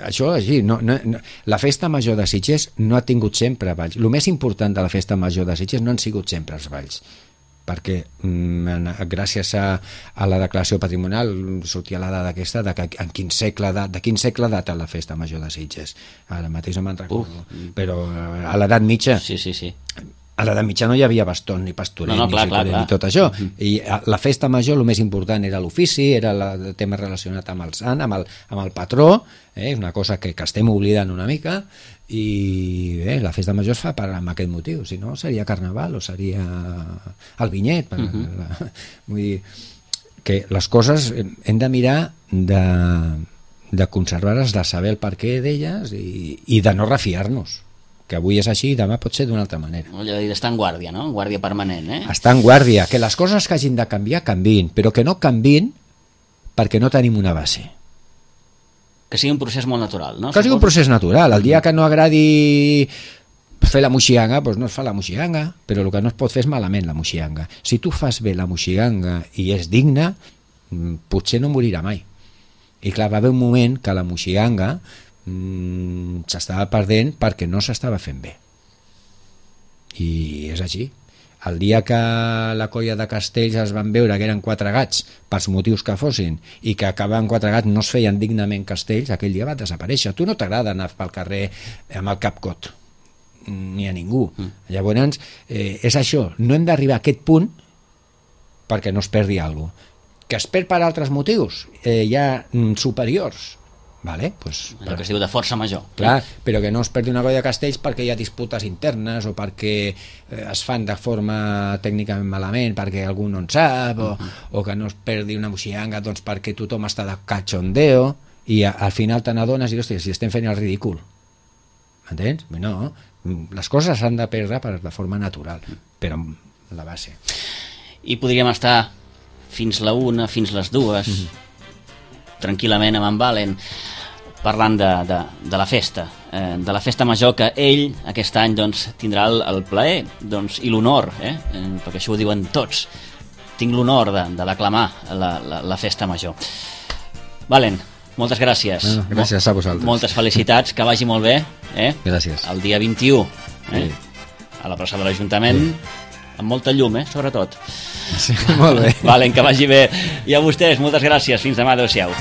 S3: això així, no, no, no, la festa major de Sitges no ha tingut sempre balls. El més important de la festa major de Sitges no han sigut sempre els balls, perquè mm, gràcies a, a la declaració patrimonial sortia la dada aquesta de, que en quin segle de, de quin segle data la festa major de Sitges. Ara mateix no me'n recordo, uh, però a l'edat mitja
S2: sí, sí, sí.
S3: A l'edat mitja no hi havia baston ni pastorer no, no, clar, ni, clar, clar. ni tot això. Uh-huh. I la festa major el més important era l'ofici, era el tema relacionat amb el sant, amb el, amb el patró, eh? Una cosa que, que estem oblidant una mica, i bé, la festa major es fa per, amb aquest motiu, si no seria carnaval o seria el vinyet. Per, uh-huh. la, vull dir que les coses hem de mirar de, de conservar-les, de saber el perquè d'elles i, i de no refiar-nos, que avui és així i demà pot ser d'una altra manera.
S2: Allò de dir d'estar en guàrdia, no? En guàrdia permanent, eh?
S3: Estar en guàrdia, que les coses que hagin de canviar, canviïn, però que no canviïn perquè no tenim una base.
S2: Que sigui un procés molt natural, no?
S3: Que sigui un procés natural. El dia que no agradi fer la moixiganga, doncs no es fa la moixiganga, però el que no es pot fer és malament la moixiganga. Si tu fas bé la moixiganga i és digna, potser no morirà mai. I clar, va haver un moment que la moixiganga mm, s'estava perdent perquè no s'estava fent bé. I és així. El dia que la colla de Castells es van veure que eren quatre gats pels motius que fossin i que acabaven quatre gats no es feien dignament castells, aquell dia va desaparèixer. A tu no t'agrada anar pel carrer amb el cap cot, ni a ningú. Mm. Llavors, eh, és això, no hem d'arribar a aquest punt perquè no es perdi alguna cosa. Que es perd per altres motius, eh, ja mm, superiors, vale? Pues,
S2: allò que es diu de força major.
S3: Clar, però que no es perdi una colla de castells perquè hi ha disputes internes o perquè eh, es fan de forma tècnicament malament perquè algú no en sap, o, uh-huh. o que no es perdi una moixiganga doncs, perquè tothom està de cachondeo i a, al final te n'adones i, hòstia, si estem fent el ridícul. Entens? No, les coses s'han de perdre per, de forma natural, però amb la base.
S2: I podríem estar fins la una, fins les dues, mm-hmm. tranquil·lament amb en Valen, parlant de, de, de la festa, eh, de la festa major que ell aquest any doncs, tindrà el, el plaer doncs, i l'honor, eh, perquè això ho diuen tots, tinc l'honor de, de declamar la, la, la festa major. Valen, moltes gràcies.
S3: Bueno, gràcies a vosaltres.
S2: Moltes felicitats, que vagi molt bé. Eh?
S3: Gràcies.
S2: El dia vint-i-u, eh?
S3: Sí.
S2: A la plaça de l'Ajuntament, sí. Amb molta llum, eh? Sobretot.
S3: Sí, molt bé.
S2: Valen, que vagi bé. I a vostès, moltes gràcies. Fins demà, adeu-siau.